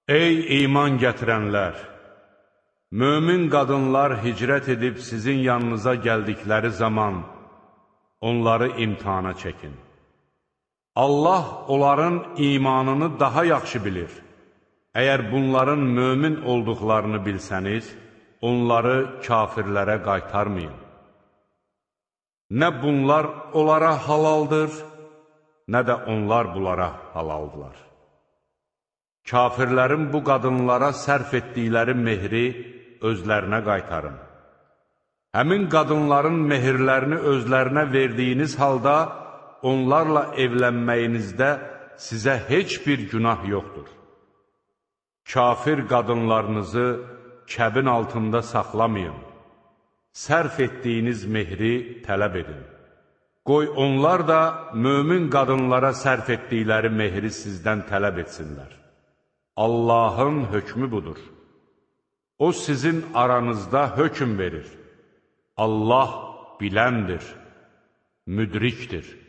Ey iman gətirənlər! Mömin qadınlar hicrət edib sizin yanınıza gəldikləri zaman onları imtihana çəkin. Allah onların imanını daha yaxşı bilir. Əgər bunların mömin olduqlarını bilsəniz, onları kafirlərə qaytarmayın. Nə bunlar onlara halaldır, nə də onlar bunlara halaldılar. Kafirlərin bu qadınlara sərf etdikləri mehri özlərinə qaytarın. Həmin qadınların mehirlərini özlərinə verdiyiniz halda, onlarla evlənməyinizdə sizə heç bir günah yoxdur. Kafir qadınlarınızı kəbin altında saxlamayın. Sərf etdiyiniz mehri tələb edin. Qoy onlar da mömin qadınlara sərf etdikləri mehri sizdən tələb etsinlər. Allahın hökmü budur. O sizin aranızda hökm verir. Allah biləndir, müdrikdir.